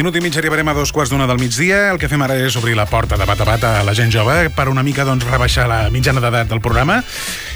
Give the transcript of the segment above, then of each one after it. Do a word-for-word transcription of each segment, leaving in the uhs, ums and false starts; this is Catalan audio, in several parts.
minut i mig arribarem a dos quarts d'una del migdia. El que fem ara és obrir la porta de bat a bat a la gent jove per una mica doncs, rebaixar la mitjana d'edat del programa.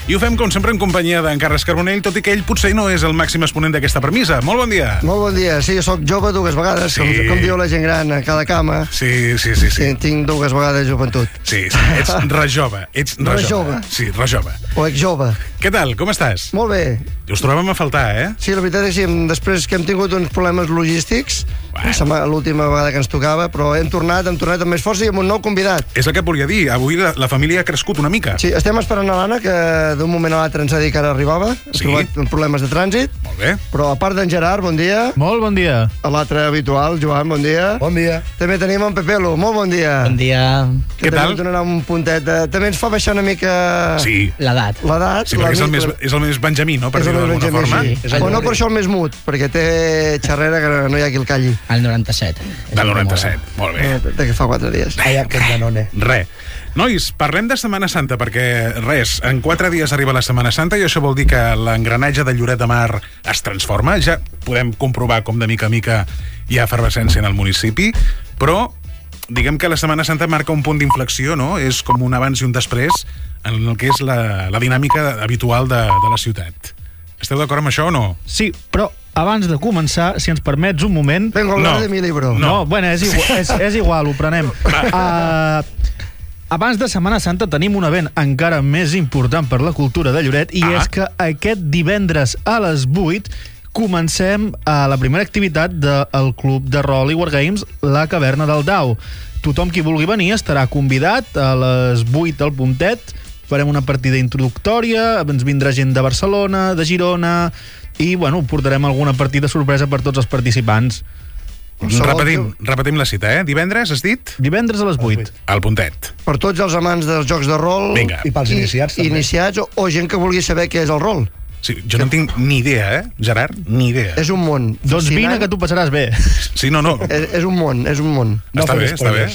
I ho fem, com sempre, en companyia d'en Carles Carbonell, tot i que ell potser no és el màxim exponent d'aquesta premissa. Molt bon dia. Molt bon dia. Sí, jo soc jove dues vegades, sí. com, com diu la gent gran a cada cama. Sí, sí, sí. sí. sí tinc dues vegades joventut. Sí, sí. Ets rejove. Ets rejove. Sí, rejove. O exjove. Què tal? Com estàs? Molt bé. Us trobem a faltar, eh? Sí, la veritat és que després que hem tingut uns problemes logístics, bueno. l'última vegada que ens tocava, però hem tornat, hem tornat amb més força i amb un nou convidat. És el que et volia dir. Avui la, la família ha crescut una mica. Sí, estem esperant a l'Anna, que d'un moment a l'altre ens ha dit que ara arribava. Hem sí. trobat problemes de trànsit. Molt bé. Però a part d'en Gerard, bon dia. Molt bon dia. A l'altre habitual, Joan, bon dia. Bon dia. També tenim en Pepelo, molt bon dia. Bon dia. Que Què tal? Donarà un puntet de... També ens fa baixar una mica... Sí. L'edat. L'edat. Sí, perquè és el, més, és el més benjamí, no? Per dir-ho d'alguna forma. Sí. Però no per això el més mut, perquè té xerrera que no hi ha qui el calli. El noranta-set. Del noranta-set, molt bé. Eh, de que fa quatre dies. Ai, aquest Danone. Re. Nois, parlem de Setmana Santa, perquè, res, en quatre dies arriba la Setmana Santa i això vol dir que l'engranatge de Lloret de Mar es transforma. Ja podem comprovar com de mica a mica hi ha efervescència en el municipi, però diguem que la Setmana Santa marca un punt d'inflexió, no? És com un abans i un després en el que és la, la dinàmica habitual de, de la ciutat. Esteu d'acord amb això o no? Sí, però abans de començar, si ens permets un moment... Vengo a hablar no. de mi libro. No, no bueno, és igual, és, és igual, ho prenem. Uh, abans de Setmana Santa tenim un event encara més important per la cultura de Lloret i ah. és que aquest divendres a les vuit comencem a la primera activitat del club de rol i wargames, la Caverna del Dau. Tothom qui vulgui venir estarà convidat a les vuit al puntet. Farem una partida introductòria, ens vindrà gent de Barcelona, de Girona, i, bueno, portarem alguna partida sorpresa per tots els participants. Repetim, repetim la cita, eh? Divendres, has dit? Divendres a les vuit. Al puntet. Per tots els amants dels jocs de rol... Vinga. I pels iniciats, també. Iniciats o, o gent que vulgui saber què és el rol. Sí, jo no en tinc ni idea, eh, Gerard? Ni idea. És un món. Doncs vine, que tu passaràs bé. Sí, no, no. És, és un món, és un món. No està bé, està bé.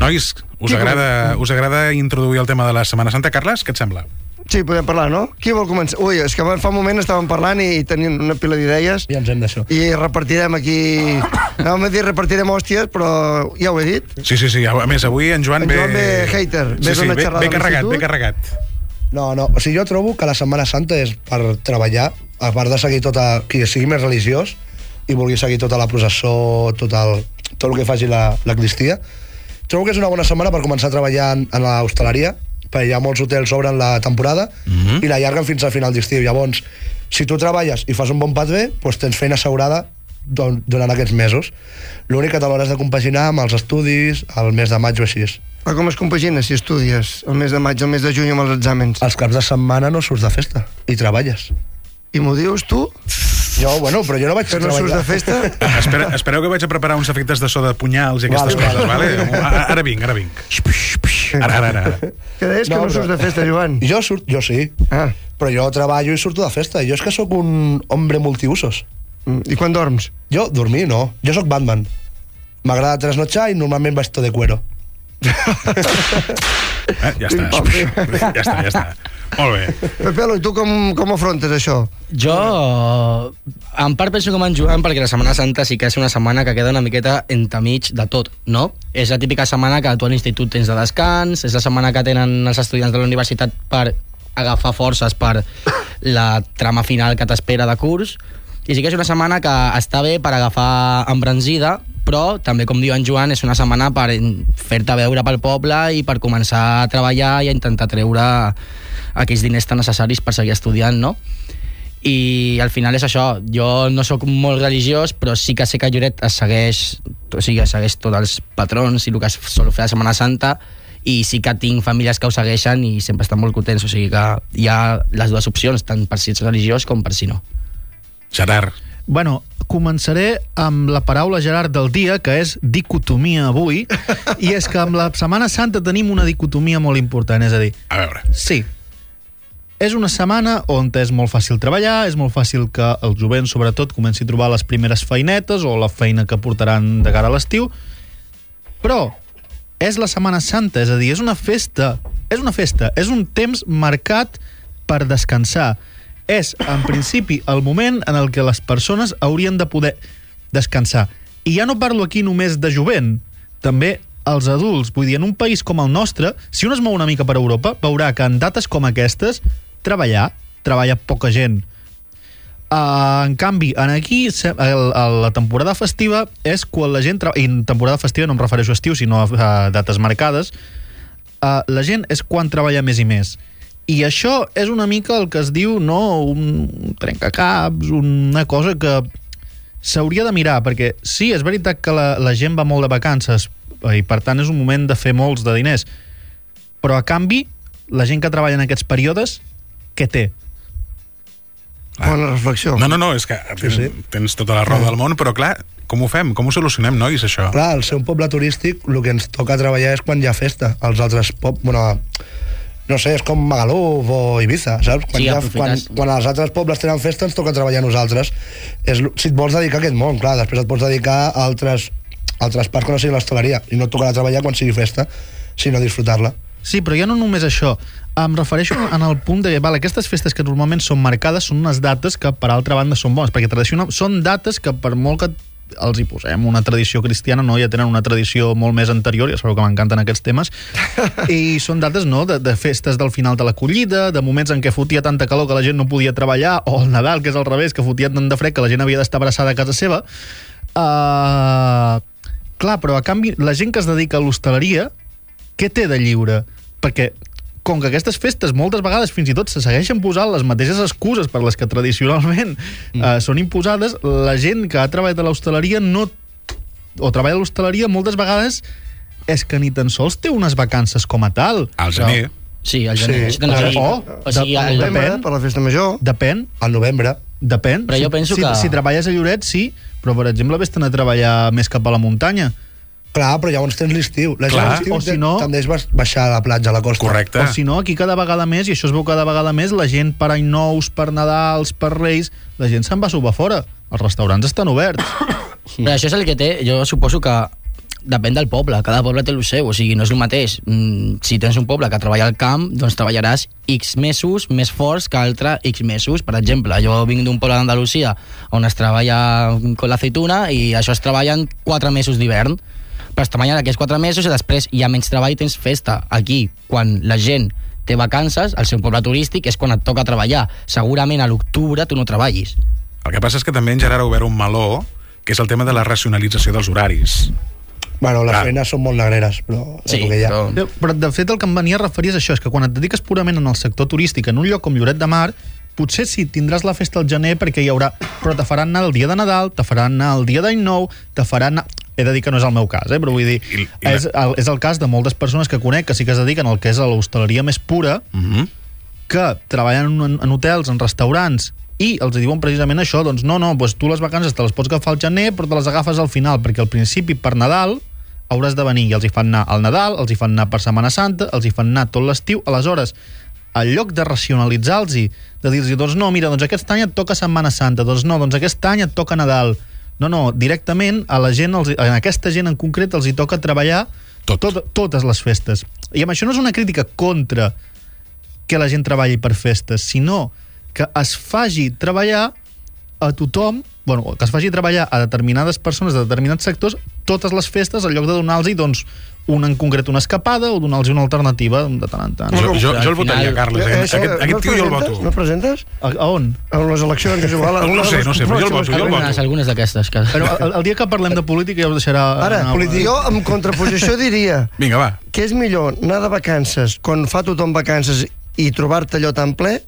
Nois, us agrada, us agrada introduir el tema de la Setmana Santa? Carles, què et sembla? Sí, podem parlar, no? Qui vol començar? Ui, és que fa un moment estàvem parlant i tenint una pila d'idees. Ja ens hem d'això. I repartirem aquí... Anàvem a dir repartirem hòsties, però ja ho he dit. Sí, sí, sí. A més, avui en Joan en ve... Joan ve hater. Sí, sí, ve, ve carregat, ve carregat. No, no, o sigui, jo trobo que la Setmana Santa és per treballar, a part de seguir tota... qui sigui més religiós i vulgui seguir tota la processó, tot el, tot el que faci la, la cristia. Trobo que és una bona setmana per començar a treballar en, en l'hostaleria, perquè hi ha molts hotels obren la temporada mm-hmm. i la llarguen fins al final d'estiu. Llavors, si tu treballes i fas un bon pat bé, doncs tens feina assegurada durant aquests mesos. L'únic que te l'hauràs de compaginar amb els estudis al mes de maig o així. Però com es compagina si estudies el mes de maig, el mes de juny amb els exàmens? Els caps de setmana no surts de festa i treballes. I m'ho dius tu? Jo, bueno, però jo no vaig que no surts de festa? Espera, espereu que vaig a preparar uns efectes de so de punyals i aquestes vale, coses, vale? vale? Ara vinc, ara vinc. Ara, ara, ara. Que deies que no, no surts de festa, Joan? Jo surt, jo sí. Ah. Però jo treballo i surto de festa. Jo és que sóc un hombre multiusos. I quan dorms? Jo, dormir, no. Jo sóc Batman. M'agrada trasnotxar i normalment vaig tot de cuero. Eh, ja està. Ja està, ja està. Molt bé. Pepelo, i tu com, com afrontes això? Jo, en part penso com en Joan, perquè la Setmana Santa sí que és una setmana que queda una miqueta entremig de tot, no? És la típica setmana que tu a l'institut tens de descans, és la setmana que tenen els estudiants de la universitat per agafar forces per la trama final que t'espera de curs, i sí que és una setmana que està bé per agafar embranzida, però també, com diu en Joan, és una setmana per fer-te veure pel poble i per començar a treballar i a intentar treure aquells diners tan necessaris per seguir estudiant, no? I al final és això, jo no sóc molt religiós, però sí que sé que Lloret es segueix, o sigui, segueix tots els patrons i el que es sol fer a Setmana Santa, i sí que tinc famílies que ho segueixen i sempre estan molt contents, o sigui que hi ha les dues opcions, tant per si ets religiós com per si no. Gerard. Bueno, començaré amb la paraula, Gerard, del dia, que és dicotomia avui, i és que amb la Setmana Santa tenim una dicotomia molt important, és a dir... A veure. Sí. És una setmana on és molt fàcil treballar, és molt fàcil que el jovent, sobretot, comenci a trobar les primeres feinetes o la feina que portaran de cara a l'estiu, però és la Setmana Santa, és a dir, és una festa, és una festa, és un temps marcat per descansar. És, en principi, el moment en el que les persones haurien de poder descansar. I ja no parlo aquí només de jovent, també els adults. Vull dir, en un país com el nostre, si un es mou una mica per Europa, veurà que en dates com aquestes, treballar, treballa poca gent. Uh, en canvi, en aquí, el, el, la temporada festiva és quan la gent... Tra... I en temporada festiva no em refereixo a estiu, sinó a uh, dates marcades. Uh, la gent és quan treballa més i més. I això és una mica el que es diu, no, un trencacaps, una cosa que s'hauria de mirar, perquè sí, és veritat que la, la gent va molt de vacances i per tant és un moment de fer molts de diners, però a canvi la gent que treballa en aquests períodes, què té? Ah. Bona reflexió. No, no, no, és que tens, sí, sí. tens tota la raó ah. del món, però clar, com ho fem? Com ho solucionem, nois, això? Clar, al ser un poble turístic, el que ens toca treballar és quan hi ha festa. Els altres pobles, bueno, no sé, és com Magaluf o Ibiza, saps? Quan, sí, ha, quan, quan els altres pobles tenen festa ens toca treballar a nosaltres. És, si et vols dedicar a aquest món, clar, després et pots dedicar a altres, altres parts que no sigui l'hostaleria, i no et tocarà treballar quan sigui festa, sinó disfrutar-la. Sí, però ja no només això. Em refereixo en el punt de... Vale, aquestes festes que normalment són marcades són unes dates que, per altra banda, són bones, perquè tradicional són dates que, per molt que els hi posem una tradició cristiana, no, ja tenen una tradició molt més anterior, ja sabeu que m'encanten aquests temes, i són dates, no?, de, de festes del final de la collida, de moments en què fotia tanta calor que la gent no podia treballar, o el Nadal, que és al revés, que fotia tant de fred que la gent havia d'estar abraçada a casa seva. Uh, clar, però a canvi, la gent que es dedica a l'hostaleria, què té de lliure? Perquè com que aquestes festes moltes vegades fins i tot se segueixen posant les mateixes excuses per les que tradicionalment mm. eh, són imposades, la gent que ha treballat a l'hostaleria no, o treballa a l'hostaleria moltes vegades és que ni tan sols té unes vacances com a tal. Al gener. Sí, al gener. Sí. No, o, o sigui, el novembre, per la festa major. Depèn. Al novembre. Depèn. Però jo penso si, que... Si treballes a Lloret, sí, però, per exemple, vés-te'n a treballar més cap a la muntanya. Clar, però llavors tens l'estiu. La gent l'estiu o si no, tendeix a baixar a la platja, a la costa. Correcte. O si no, aquí cada vegada més, i això es veu cada vegada més, la gent per any nous, per Nadals, per Reis, la gent se'n va a sopar fora. Els restaurants estan oberts. Però això és el que té, jo suposo que depèn del poble, cada poble té el seu, o sigui, no és el mateix. Mm, si tens un poble que treballa al camp, doncs treballaràs X mesos més forts que altre X mesos. Per exemple, jo vinc d'un poble d'Andalusia on es treballa con l'aceituna i això es treballa en quatre mesos d'hivern. Però es treballen aquests quatre mesos i després hi ha menys treball i tens festa. Aquí, quan la gent té vacances, al seu poble turístic és quan et toca treballar. Segurament a l'octubre tu no treballis. El que passa és que també en Gerard ha obert un meló, que és el tema de la racionalització dels horaris. Bueno, les Clar. feines són molt negreres, però... Sí, que hi ha. però... Però, de fet, el que em venia a referir és això, és que quan et dediques purament en el sector turístic, en un lloc com Lloret de Mar, potser sí, tindràs la festa al gener perquè hi haurà... Però te faran anar el dia de Nadal, te faran anar el dia d'any nou, te faran anar... He de dir que no és el meu cas, eh? Però vull dir... I, i la... és, el, és el cas de moltes persones que conec que sí que es dediquen al que és a l'hostaleria més pura, Mm-hmm. que treballen en, en hotels, en restaurants, i els diuen precisament això, doncs no, no, doncs tu les vacances te les pots agafar al gener, però te les agafes al final, perquè al principi, per Nadal, hauràs de venir, i els hi fan anar al Nadal, els hi fan anar per Setmana Santa, els hi fan anar tot l'estiu, aleshores, al lloc de racionalitzar-los, de dir-los, doncs no, mira, doncs aquest any et toca Setmana Santa, doncs no, doncs aquest any et toca Nadal. No, no, directament a la gent, els, a aquesta gent en concret els hi toca treballar Tot. tot, totes les festes. I amb això no és una crítica contra que la gent treballi per festes, sinó que es faci treballar a tothom, bueno, que es faci treballar a determinades persones de determinats sectors totes les festes, en lloc de donar-los doncs, un en concret una escapada o donar-los una alternativa de tant en tant. Jo, jo, jo el votaria, final... Carles. Eh? Això, Aquest, aquest no tio jo el voto. No presentes? A, a on? A les eleccions, és igual. No sé, no sé, però jo el voto, jo el Algunes, voto. algunes d'aquestes. Que... Però el, el dia que parlem de política ja us deixarà... Ara, anar- jo en contraposició diria Vinga, va. que és millor anar de vacances quan fa tothom vacances i trobar-te allò tan ple,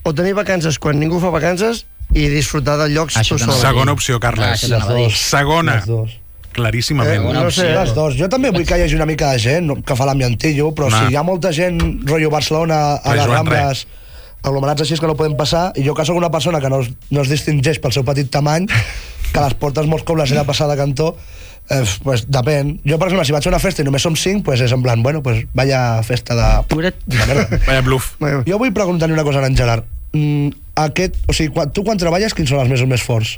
o tenir vacances quan ningú fa vacances i disfrutar de llocs Això tu t'anava sol. a dir. Segona opció, Ah, Carles. això t'anava a dir. Segona. Les dos. Claríssimament. Eh, no sé. Les dos. Jo també vull que hi hagi una mica de gent no, que fa l'ambientillo, però No. si hi ha molta gent, rotllo Barcelona, a Res, les Joan, Rambles, aglomerats així és que no podem passar, i jo que sóc una persona que no es, no es distingeix pel seu petit tamany, que a les portes molts cops les he de passar de cantó, eh, pues depèn. Jo, per exemple, si vaig a una festa i només som cinc, pues és en plan, bueno, pues vaya festa de... Pobret. de merda. Vaya bluff. Jo vull preguntar-li una cosa a en Gerard. Mm, aquest, o sigui, quan, tu quan treballes, quins són els mesos més forts?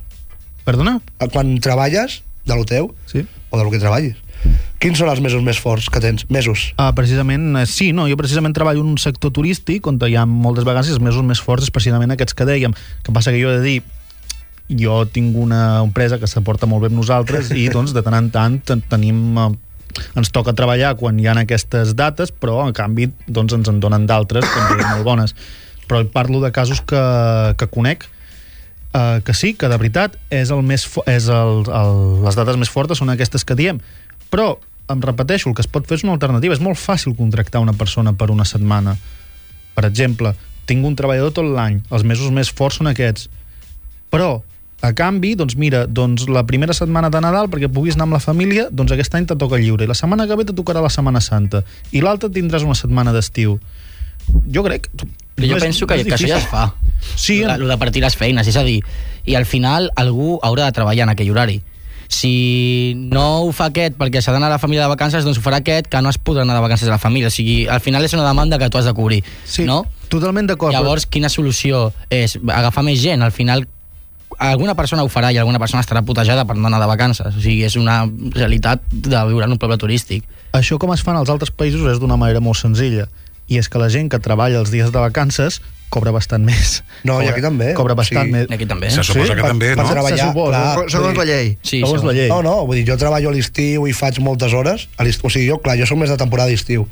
Perdona? Quan treballes, de lo teu, Sí. o del que treballis, quins són els mesos més forts que tens? Mesos. Uh, precisament, eh, sí, no, jo precisament treballo en un sector turístic on hi ha moltes vegades els mesos més forts és precisament aquests que dèiem. Que passa que jo he de dir jo tinc una empresa que se porta molt bé amb nosaltres i doncs de tant en tant tenim... ens toca treballar quan hi ha aquestes dates, però en canvi doncs ens en donen d'altres també molt bones. Però parlo de casos que, que conec eh, que sí, que de veritat és el més fo- és el, el, les dates més fortes són aquestes que diem, però em repeteixo, el que es pot fer és una alternativa. És molt fàcil contractar una persona per una setmana. Per exemple, tinc un treballador tot l'any, els mesos més forts són aquests, però a canvi, doncs mira, doncs la primera setmana de Nadal, perquè puguis anar amb la família, doncs aquest any te toca lliure, i la setmana que ve te tocarà la Setmana Santa, i l'altra tindràs una setmana d'estiu. Jo crec... Però jo no és- penso no que, és que això ja es fa. Sí, el de partir les feines, és a dir, i al final algú haurà de treballar en aquell horari. Si no ho fa aquest perquè s'ha d'anar a la família de vacances, doncs ho farà aquest que no es podrà anar de vacances a la família. O sigui, al final és una demanda que tu has de cobrir, sí, no? totalment d'acord. Llavors, quina solució és? Agafar més gent? Al final, alguna persona ho farà i alguna persona estarà putejada per no anar de vacances. O sigui, és una realitat de viure en un poble turístic. Això com es fa en els altres països és d'una manera molt senzilla, i és que la gent que treballa els dies de vacances cobra bastant més. No, cobra, i aquí també. Cobra bastant Sí. més. Aquí també. Se suposa Sí, que per- també, per no? treballar, Se suposa. clar, Segons vull la dir- llei. Segons la llei. No, no, vull dir, jo treballo a l'estiu i faig moltes hores. A l'estiu, o sigui, jo, clar, jo soc més de temporada d'estiu.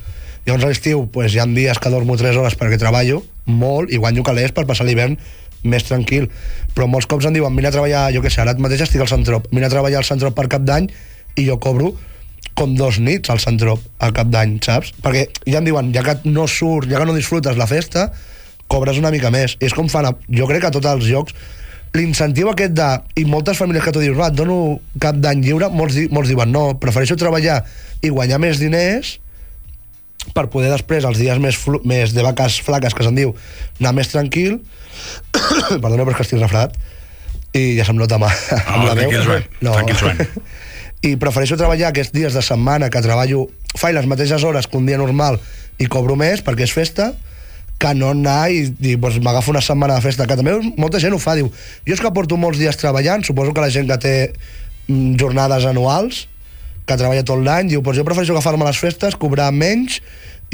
Llavors a l'estiu, pues, hi ha dies que dormo tres hores perquè treballo molt i guanyo calés per passar l'hivern més tranquil. Però molts cops em diuen, vine a treballar, jo què sé, ara mateix estic al Centrop, vine a treballar al Centrop per Cap d'Any i jo cobro com dos nits al Centrop al Cap d'Any, saps? Perquè ja em diuen, ja que no surts, ja que no disfrutes la festa, cobres una mica més. I és com fan, a, jo crec que a tots els llocs, l'incentiu aquest de, i moltes famílies que tu dius, va, et dono Cap d'Any lliure, molts, di, molts diuen, no, prefereixo treballar i guanyar més diners per poder després, els dies més, flu, més de vaques flaques, que se'n diu, anar més tranquil. Perdona, però és que estic refredat i ja se'm nota mà, amb la veu. tranquil, Joan, tranquil, Joan. I prefereixo treballar aquests dies de setmana que treballo, faig les mateixes hores que un dia normal i cobro més perquè és festa, que no anar i dir, doncs m'agafo una setmana de festa, que també molta gent ho fa, diu, jo és que porto molts dies treballant, suposo que la gent que té mm, jornades anuals, que treballa tot l'any, diu, doncs jo prefereixo agafar-me les festes, cobrar menys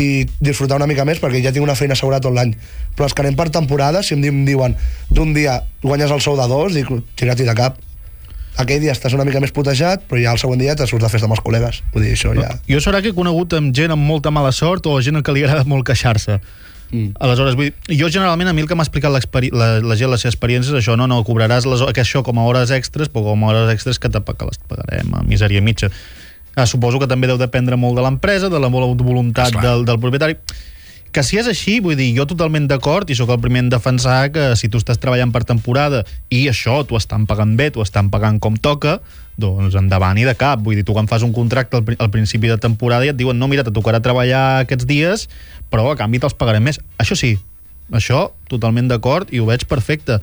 i disfrutar una mica més perquè ja tinc una feina assegurada tot l'any. Però els que anem per temporada, si em diuen d'un dia guanyes el sou de dos, dic, tira-t'hi de cap. Aquell dia estàs una mica més putejat, però ja el següent dia te surts de festa amb els col·legues. Vull dir, això ja... Jo serà que he conegut amb gent amb molta mala sort o gent que li agrada molt queixar-se. Mm. Aleshores, vull dir, jo generalment a mi el que m'ha explicat la, la gent les seves experiències és això, no, no, cobraràs les, que això com a hores extres, però com a hores extres que, te, que les pagarem a misèria mitja. Ah, suposo que també deu dependre molt de l'empresa, de la voluntat del, del propietari. Que si és així, vull dir, jo totalment d'acord i sóc el primer en defensar que si tu estàs treballant per temporada i això t'ho estan pagant bé, t'ho estan pagant com toca, doncs endavant i de cap. Vull dir, tu quan fas un contracte al, al principi de temporada i et diuen, no, mira, te tocarà treballar aquests dies, però a canvi te'ls pagarem més. Això sí, això totalment d'acord i ho veig perfecte.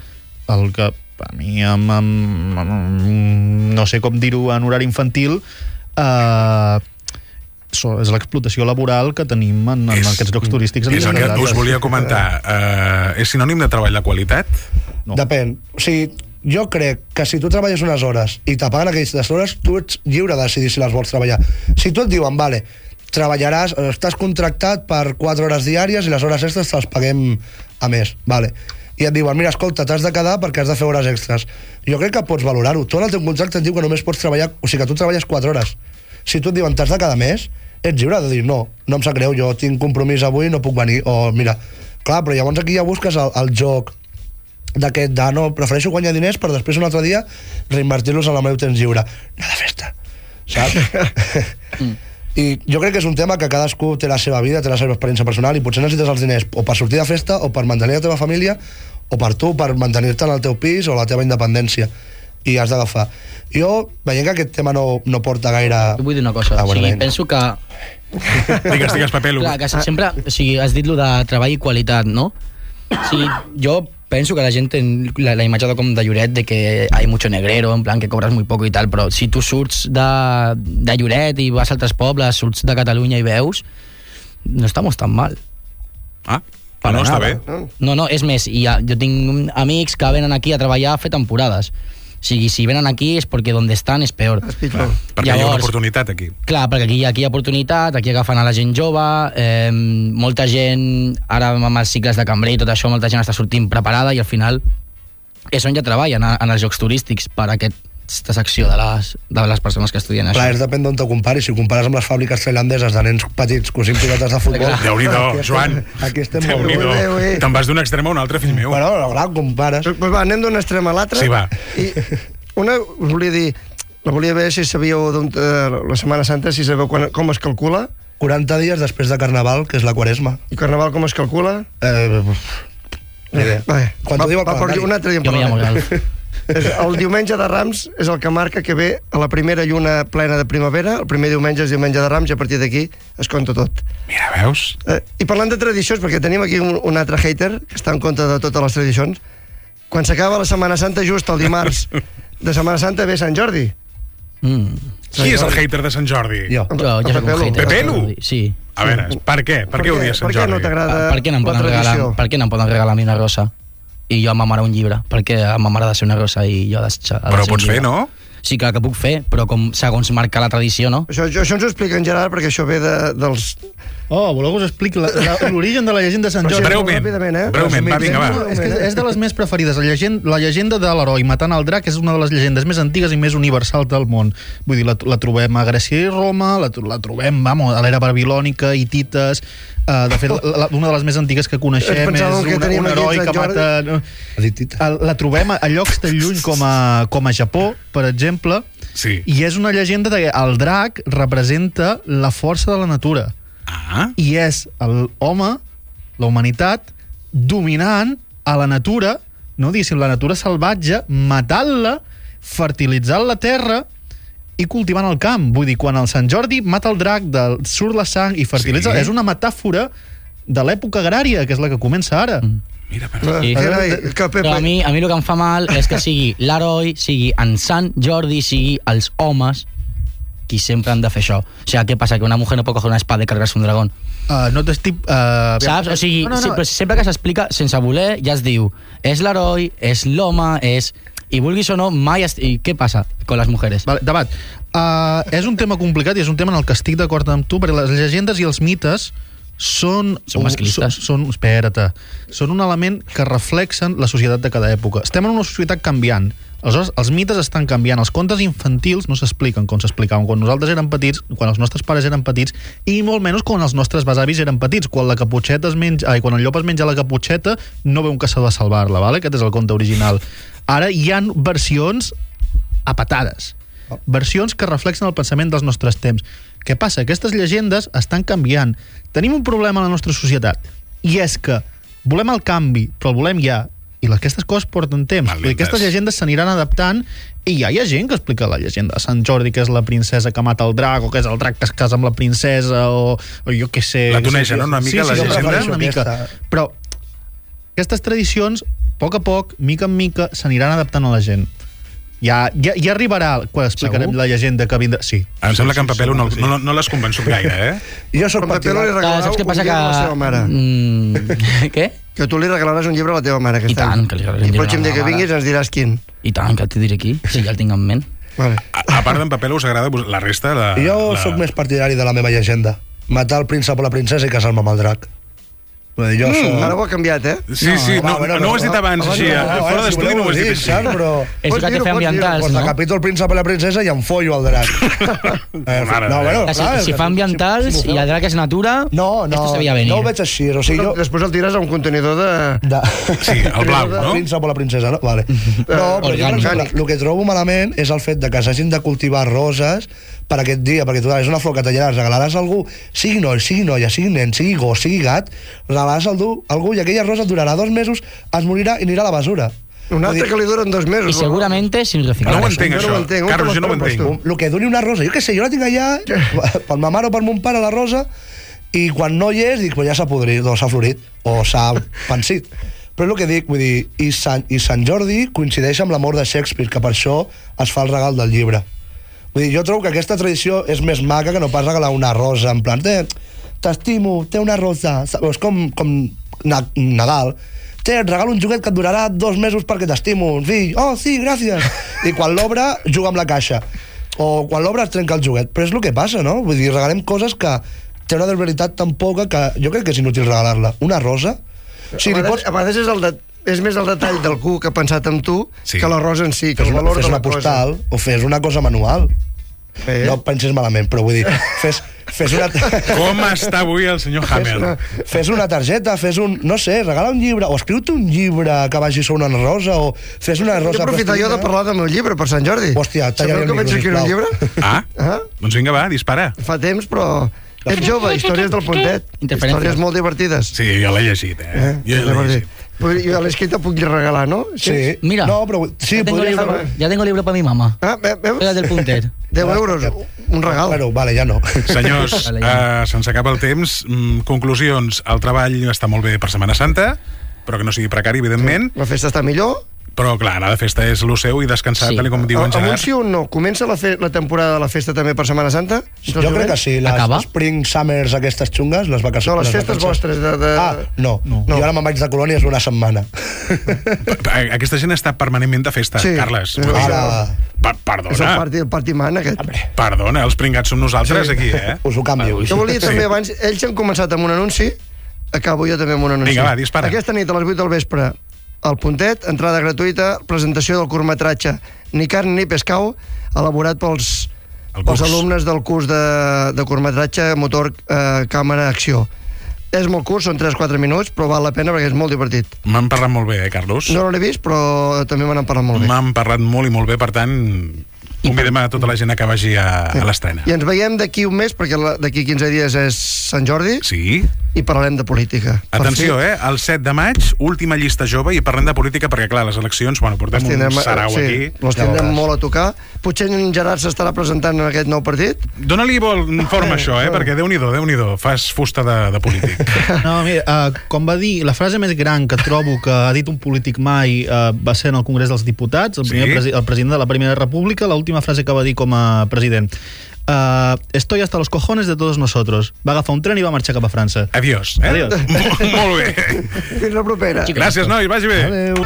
El que a mi, amb, amb, amb, no sé com dir-ho en horari infantil, Uh, so, és l'explotació laboral que tenim en, en és, aquests llocs turístics. És el que us volia comentar. Uh, és sinònim de treball de qualitat? No. Depèn. O sigui, jo crec que si tu treballes unes hores i te paguen aquestes hores, tu ets lliure de decidir si les vols treballar. Si tu et diuen, vale, treballaràs, estàs contractat per quatre hores diàries i les hores extres te les paguem a més, vale. I et diuen, mira, escolta, t'has de quedar perquè has de fer hores extres. Jo crec que pots valorar-ho. Tu en el teu contracte et diu que només pots treballar, o sigui que tu treballes quatre hores. Si tu et diuen, t'has de quedar més, ets lliure de dir, no, no em sap greu, jo tinc compromís avui, no puc venir, o mira, clar, però llavors aquí ja busques el, el joc d'aquest de, no, prefereixo guanyar diners per després un altre dia reinvertir-los en el meu temps lliure. Anar de festa, saps? mm. I jo crec que és un tema que cadascú té la seva vida, té la seva experiència personal i potser necessites els diners o per sortir de festa o per mantenir la teva família o per tu, per mantenir-te en el teu pis o la teva independència i has d'agafar. Jo, veient que aquest tema no, no porta gaire... Jo vull dir una cosa, o sigui, penso que... Digues, digues, Pepelu. Clar, que sempre, o sigui, has dit lo de treball i qualitat, no? O sigui, jo penso que la gent té la, la imatge de com de Lloret de que hay mucho negrero, en plan que cobres muy poco i tal, però si tu surts de, de Lloret i vas a altres pobles, surts de Catalunya i veus, no estamos tan mal. Ah, però no està bé. No, no, és més, i ha, jo tinc amics que venen aquí a treballar a fer temporades. O sigui, si venen aquí és perquè on estan és peor. És pitjor. Perquè Llavors, hi ha una oportunitat aquí. Clar, perquè aquí, aquí hi ha oportunitat, aquí agafen a la gent jove, eh, molta gent, ara amb els cicles de cambrer i tot això, molta gent està sortint preparada i al final és on ja treballen en els jocs turístics per aquesta secció de les, de les persones que estudien això. Clar, és depèn d'on te comparis. Si ho compares amb les fàbriques tailandeses de nens petits cosint pilotes de futbol... Déu-n'hi-do, Joan. Aquí estem Déu-n'hi-do. Te'n vas d'un extrem a un altre, fill meu. Bueno, no, clar, compares. Pues va, anem d'un extrem a l'altre. Sí, va. I una, us volia dir, la volia veure si sabíeu d'on, eh, la Setmana Santa, si sabeu quan, com es calcula. quaranta dies després de Carnaval, que és la Quaresma. I Carnaval com es calcula? Eh, ni idea. Va, Quan va, t'ho diu el va, calendari. un altre dia en Jo me llamo parlarem. Galf. És el diumenge de Rams és el que marca que ve a la primera lluna plena de primavera. El primer diumenge és diumenge de Rams i a partir d'aquí es compta tot. Mira, veus? Eh, I parlant de tradicions, perquè tenim aquí un, un altre hater que està en contra de totes les tradicions, quan s'acaba la Setmana Santa, just el dimarts de Setmana Santa, ve Sant Jordi. Mm. Qui és el hater de Sant Jordi? Jo. Jo, jo soc un Pepelu. hater. Pepelu? Sí. A veure, per què? Per què odies Sant Per què Jordi? no t'agrada Per què no em la poden regalar, tradició? per què no em poden regalar a mi una rosa? I jo a ma mare un llibre. Perquè a ma mare ha de ser una rosa i jo ha de ser... ha de Però ser un pots fer, llibre. no? Sí, clar que puc fer, però com segons marca la tradició, no? Això, això ens ho explica en Gerard, perquè això ve de, dels... Oh, voleu que us expliqui la- la- l'origen de la llegenda de Sant Però Jordi? sí, Breument, ràpidament, eh? breument, va, vinga, va. No, és, que és de les més preferides. La llegenda, la llegenda de l'heroi matant el drac és una de les llegendes més antigues i més universals del món. Vull dir, la, la trobem a Grècia i Roma, la, la trobem, vamos, a l'era babilònica, hitites... Uh, de fet, la, la, una de les més antigues que coneixem és Pensàvem que una, teníem un aquí heroi Sant que Jordi. mata... Editit. El- La trobem a, a llocs tan lluny com a, com a Japó, per exemple, Sí. i és una llegenda de que el drac representa la força de la natura. Ah, I és l'home, la humanitat, dominant a la natura, no diguéssim, la natura salvatge, matant-la, fertilitzant la terra i cultivant el camp. Vull dir, quan el Sant Jordi mata el drac, del, surt la sang i fertilitza... Sí. És una metàfora de l'època agrària, que és la que comença ara. Mm. mira, per... Sí. Carai, que Pepe... Però a mi, a mi el que em fa mal és que sigui l'heroi, sigui en Sant Jordi, sigui els homes qui sempre han de fer això. O sigui, què passa? Que una mujer no pot coger una espada i carregar-se un dragón. Uh, no t'estic... Uh, Saps? O sigui, no, no, no. sempre, sempre que s'explica sense voler, ja es diu és l'heroi, és l'home, és... I vulguis o no, mai... Est... I què passa con les mujeres? Vale, debat. Uh, és un tema complicat i és un tema en el que estic d'acord amb tu, perquè les llegendes i els mites són... Són masclistes. Són, són, espera't, són un element que reflexen la societat de cada època. Estem en una societat canviant. Aleshores, els mites estan canviant. Els contes infantils no s'expliquen com s'explicaven quan nosaltres érem petits, quan els nostres pares eren petits, i molt menys quan els nostres besavis eren petits. Quan la caputxeta es menja, ai, quan el llop es menja la caputxeta, no ve un caçador a salvar-la, vale? Aquest és el conte original. Ara hi ha versions apatades. Versions que reflexen el pensament dels nostres temps. Què passa? Aquestes llegendes estan canviant. Tenim un problema a la nostra societat, i és que volem el canvi, però el volem ja, i aquestes coses porten temps. Maldites. Aquestes llegendes s'aniran adaptant, i ja hi ha gent que explica la llegenda de Sant Jordi, que és la princesa que mata el drac, o que és el drac que es casa amb la princesa, o, o jo què sé... La tunegen, no? Una mica, sí, la sí, llegenda? prefereixo una mica. Aquesta. Però aquestes tradicions, a poc a poc, mica en mica, s'aniran adaptant a la gent. Ja, ja, ja arribarà quan explicarem Segur? la llegenda que vindrà... Sí. Em sembla que en Pepelu no, sí. no, no l'has convençut gaire, eh? Jo soc Però Pepe li partidari. Clar, regalarà saps què un passa? llibre Que... a la seva mare. Mm, què? Que tu li regalaràs un llibre a la teva mare. I Aquest tant, any. que li regalaré I un el llibre pròxim a la dia que mare. vinguis ens diràs quin. I tant, que et diré aquí, si ja el tinc en ment. Vale. A, a part d'en Pepelu, us agrada la resta? La, Jo la... sóc més partidari de la meva llegenda. Matar el príncep o la princesa i casar-me amb el drac. Vull dir, jo soc... Mm, ara ho ha canviat, eh? Sí, sí, no, home, no, no ho has dit abans, home, així. no, a- no, Fora si d'estudi voleu no ho has dir, dit així. saps? Però... És Pots que té dir-ho, fer pots ambientals, Pues no? decapito el príncep i la princesa i em follo el drac. Eh, Mare no, de bueno, Que si, clar, si que fa ambientals si m'ho i feu- el drac és natura, No, no, esto se veia venir. no ho veig així. O sigui, jo... Després el tires a un contenidor de... De... Sí, el blau, El no? príncep o la princesa, no? Vale. No, però jo, per Orgànic. exemple, el que trobo malament és el fet de que s'hagin de cultivar roses per aquest dia, perquè tu és una flor que tallaràs, regalaràs a algú, sigui noi, sigui noia, sigui nen, sigui gos, sigui gat, regalaràs a algú, algú i aquella rosa et durarà dos mesos, es morirà i anirà a la basura. Un altre que li duren dos mesos. I seguramente sin reciclar. No ho entenc, jo no això. ho entenc. On Carlos, te jo no ho les entenc. compres El que duri una rosa, jo què sé, jo la tinc allà per ma mare o per mon pare, la rosa, i quan no hi és, dic, pues ja s'ha podrit, o s'ha florit, o s'ha pensit. Però és el que dic, vull dir, i Sant, i Sant Jordi coincideix amb la mort de Shakespeare, que per això es fa el regal del llibre. Vull dir, jo trobo que aquesta tradició és més maca que no pas regalar una rosa, en plan, "Té, t'estimo, té una rosa", és com, com na, Nadal, "Té, et regalo un joguet que et durarà dos mesos perquè t'estimo, fill", "Oh, sí, gràcies", i quan l'obre, juga amb la caixa, o quan l'obre es trenca el joguet, però és el que passa, no? Vull dir, regalem coses que té una veritat tan poca que jo crec que és inútil regalar-la. Una rosa, Sí, a, vegades, a vegades és el de... és més el detall del cu que ha pensat en tu Sí. que l'arròs en si, que Fes el una, valor fes de una la cosa. postal o fes una cosa manual. Eh? No pensis malament, però vull dir, fes, fes una... Com està avui el senyor Fes una, Hamel? fes una targeta, fes un... No sé, regala un llibre, o escriu-te un llibre que vagi sobre una rosa, o fes una rosa... Jo aprofitar jo de plastilina. parlar del meu llibre per Sant Jordi. Hòstia, talla Sabeu el que vaig micro, escriure un sisplau. llibre? Ah, Ah? doncs vinga, va, dispara. Fa temps, però... Ets jove, històries del Pontet. Interferències. Històries molt divertides. Sí, jo l'he llegit, eh? Eh? Jo l'he llegit. Però jo a l'escrita puc regalar, no? Sí. Mira, No, però... Sí, ya, tengo podria libro, fer... ya tengo libro para mi mamá. Ah, ve- veus? Era del puntet. deu euros, un regal. Bueno, vale, ja no. Senyors, Vale, uh, se'ns acaba el temps. Mm, conclusions, el treball està molt bé per Setmana Santa, però que no sigui precari, evidentment. La festa està millor. Però, clar, anar de festa és lo seu i descansar, Sí. tal com diu en Amb un Gerard. sí o un no? Comença la, fe la temporada de la festa també per Setmana Santa? Jo crec que sí, les Acaba? Spring Summers aquestes xungues, les vacances... No, les festes vostres de... de... Ah, no. no. No. Jo ara me'n vaig de colònies una setmana. Aquesta gent està permanentment de festa, Sí. Carles. Sí. Vull dir, Ara- Pa És el perdona, party, el party man, aquest. perdona, els pringats som nosaltres Sí. aquí, eh? Us ho canvio. Jo volia també abans... Ells han començat amb un anunci, acabo jo també amb un anunci. Vinga, va, dispara. Aquesta nit a les vuit del vespre, al Pontet, entrada gratuïta, presentació del curtmetratge Ni carn ni pescau, elaborat pels, El pels curs. alumnes del curs de, de curtmetratge motor eh, càmera acció. És molt curt, són tres quatre minuts, però val la pena perquè és molt divertit. M'han parlat molt bé, eh, Carlos? No l'he vist, però també me n'han parlat molt bé. M'han parlat molt i molt bé, per tant, convidem a tota la gent a que vagi a, a l'estrena. I ens veiem d'aquí un mes, perquè la- d'aquí quinze dies és Sant Jordi, Sí? i parlarem de política. Per Atenció, fi, eh? El set de maig, última llista jove, i parlem de política perquè, clar, les eleccions, bueno, portem les un tindrem, sarau sí, aquí. les Ja tindrem veuràs. molt a tocar. Potser en Gerard s'estarà presentant en aquest nou partit. Dóna-li vol forma això, eh? Perquè Déu-n'hi-do, Déu-n'hi-do, fas fusta de, de polític. No, mira, uh, com va dir, la frase més gran que trobo que ha dit un polític mai uh, va ser en el Congrés dels Diputats, el, Sí? primer presi el president de la Primera República, l'última frase que va dir com a president. Uh, estoy hasta los cojones de todos nosotros. Va agafar un tren i va marxar cap a França. Adiós. Eh? Adiós. Molt bé. Fins la propera. Gràcies, nois, vagi bé. Adéu.